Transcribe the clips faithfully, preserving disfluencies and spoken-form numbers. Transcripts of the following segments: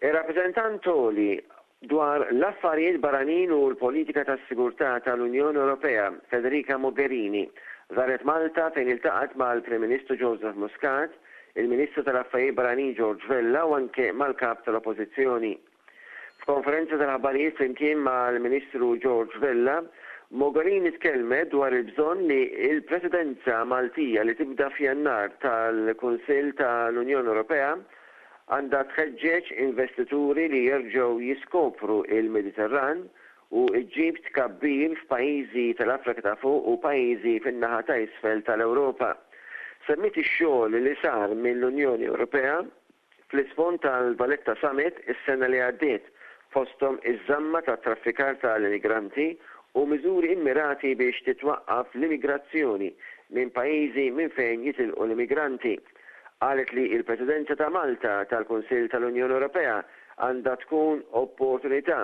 Ir-rappreżentant Għoli dwar l-affarijiet barranin u l-politika tas-sigurtà tal-Unjoni Ewropea, Federica Mogherini, żaret Malta fejn iltaqgħet mal-Prim Ministru Joseph Muscat, il-Ministru tal-Affarijiet Barranin George Vella u anke mal-Kap tal-Oppożizzjoni. F'konferenza tal-aħbarijiet flimkien mal-Ministru George Vella, Mogherini tkellmet dwar il-bżonn li l-Presidenza Maltija li tibda f'Jannar tal-Kunsill tal-Unjoni Ewropea għandha tħeġġeġ investituri li jerġgħu jiskopru il-Mediterran u ġġib tkabbir f'pajjiżi tal-Afrika ta' fuq u pajjiżi fin-naħa ta' isfel tal-Ewropa. Semmiet ix-xogħol li sar mill-Unjoni Ewropea fl-isfond tal-Valletta Summit is-sena li għaddiet, fosthom iż-żamma tat-traffikar tal-immigranti u miżuri immirati biex titwaqqaf l-immigrazzjoni minn pajjiżi minn fejn jitilqu l-immigranti. Qalet li l-Presidenza ta' Malta tal-Kunsill tal-Unjoni Ewropea għandha tkun opportunità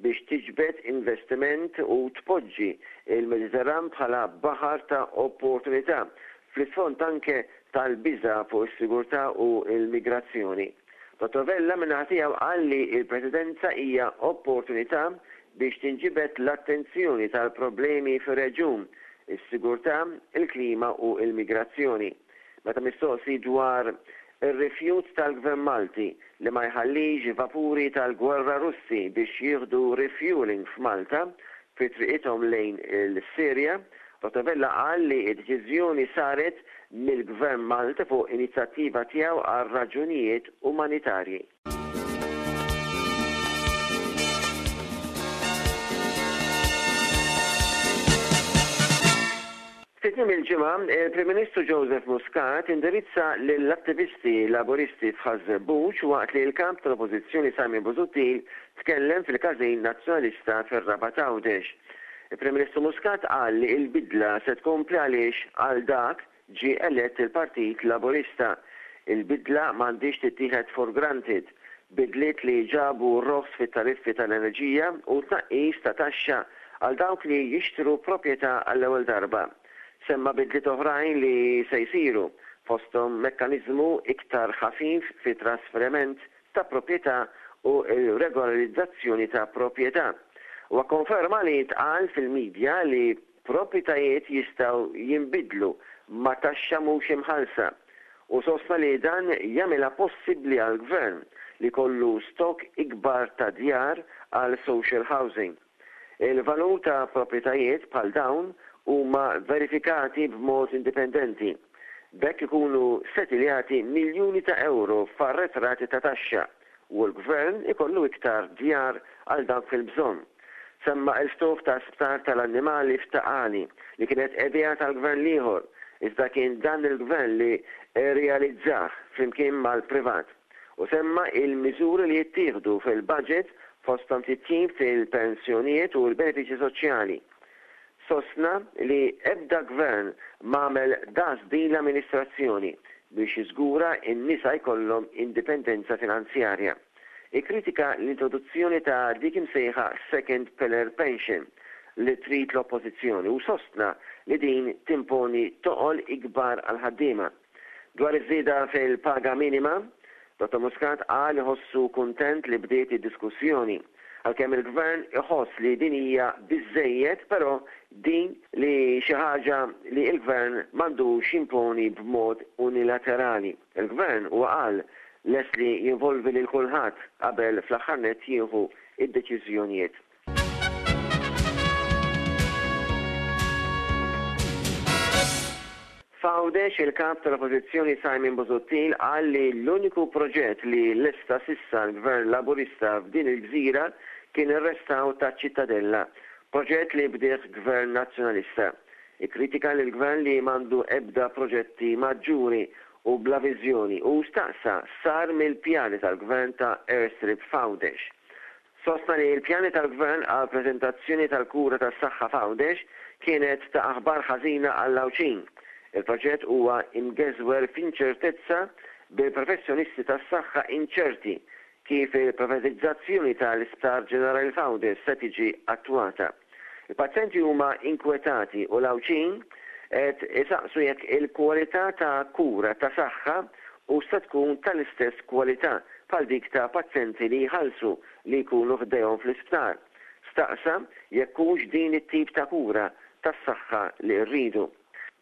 biex tiġbed investiment u tpoġġi il-Mediterran bħala baħar ta' opportunità fl-isfond anke tal-biża' fuq is-sigurtà u l-migrazzjoni. Dottor Vella min-naħa tiegħu qal li l-Presidenza hija opportunità biex tinġibed l-attenzjoni tal-problemi fir-reġjun, is-sigurtà, il-klima u l-migrazzjoni. Meta mistoqsi dwar ir-rifjut tal-Gvern Malti li ma jħallix vapuri tal-gwerra Russi biex jieħdu refueling f'Malta fi triqithom lejn il-Sirja, Dottor Vella qal li d-deċiżjoni saret mill-Gvern Malti fuq inizjattiva tiegħu għal raġunijiet umanitarji. Fi tmiem il-ġimgħa, il-Prim Ministru Joseph Muscat indirizza lill-attivisti Laburisti f'Ħaż-Żebbuġ waqt li l-kap tal-Oppożizzjoni Simon Busuttil tkellem fil-Każin Nazzjonalista fir-Rabat Għawdex. Il-Prim Ministru Muscat qal li l-bidla se tkompli għaliex għal dak ġie elett il-Partit Laburista. Il-bidla m'għandhiex tittieħed for granted. Bidliet li ġabu roħs fit-tariffi tal-enerġija u tnaqqis ta' taxxa għal dawk li jixtru proprjetà għall-ewwel darba. Semma bidliet oħrajn li se jsiru, fosthom mekkaniżmu iktar ħafif fi trasferiment ta' proprjetà u l-regolarizzazzjoni ta' proprjetà. Huwa konferma li tqal fil-medja li proprjetajiet jistgħu jinbidlu ma' taxxa mhux imħallsa u sostna li dan jagħmilha possibbli għall-gvern li kollu stok ikbar ta' djar għal social housing. Il-valur ta' proprjetajiet bħal dawn huma verifikati b'mod indipendenti. B'hekk ikunu setiljati miljuni ta' euro f'arretrati ta' taxxa u l-gvern ikollu iktar djar għal dawk fil-bżonn. Semma l-ftuħ ta' sptar tal-annimali f'Ta' Qali li kienet idea tal-gvern l-ieħor, iżda kien dan il-gvern li rrealizzah flimkien mal-privat. U semma il-miżuri li jittieħdu fil-budget fosthom titjib fil-pensjonijiet u l-benefiċċji soċjali. Sostna li ebda gvern m'għamel daqs din l-amministrazzjoni biex jiżgura n-nisa jkollhom indipendenza finanzjarja. Ikkritika l-introduzzjoni ta' dik imsejħa second pillar pension li trid l-oppożizzjoni u sostna li din timponi toqol ikbar għal ħaddiema. Dwar iż-żieda fil-paga minima, Dottor Muscat qal iħossu kuntent li bdiet id-diskussjoni. Għalkemm il-gvern iħoss li din hija biżżejjed, però din li xi ħaġa li l-gvern m'għandux jimponi b'mod unilaterali. Il-gvern huwa qal lest li jinvolvi lil kulħadd qabel fl-aħħar nett jieħu id-deċiżjonijiet. F'Għawdex il-kap tal-Oppożizzjoni Simon Busuttil qal li l-uniku proġett li lesta sissa l-Gvern Laburista f'din il-gżira kien ir-restawr ta' Ċittadella, proġett li bdieh Gvern Nazzjonalista. Ikkritika lill-Gvern li m'għandu ebda proġetti maġġuri u bla viżjoni u staqsa sar mill-pjani tal-Gvern ta' airstrip f'Għawdex. Sostna li l-pjani tal-Gvern għal preżentazzjoni tal-kura tas-saħħa f'Għawdex kienet ta' aħbar ħażina għall-Għawdxin. Il-proġett huwa imgeżwer f'inċertezza bil-professjonisti tas-saħħa inċerti kif il-privatizzazzjoni tal-Isptar Ġenerali f'Għawdex se tiġi attwata. Il-pazjenti huma inkwetati u l-Għawdxin qed isaqsu jekk il-kwalità ta' kura ta' saħħa hux se tkun tal-istess kwalità bħal dik ta' pazjenti li jħallsu li jkunu ħdejhom fl-isptar. Staqsa jekk hux din it-tip ta' kura tas-saħħa li rridu.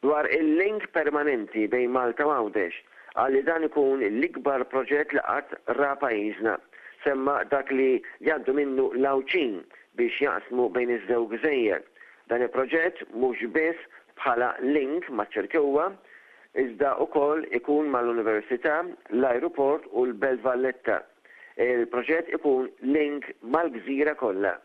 Dwar il-link permanenti bejn Malta u Għawdex, qal li dan ikun l-ikbar proġett li qatt ra pajjiżna. Semma dak li jgħaddu minnu l-Għawdxin biex jaqsmu bejn iż-żewġ gżejjer. Dan il-proġett mhux biss bħala link maċ-Ċirkewwa, iżda wkoll ikun mal-Università, l-Ajruport u l-Belt Valletta. Il-proġett ikun link mal-gżira kollha.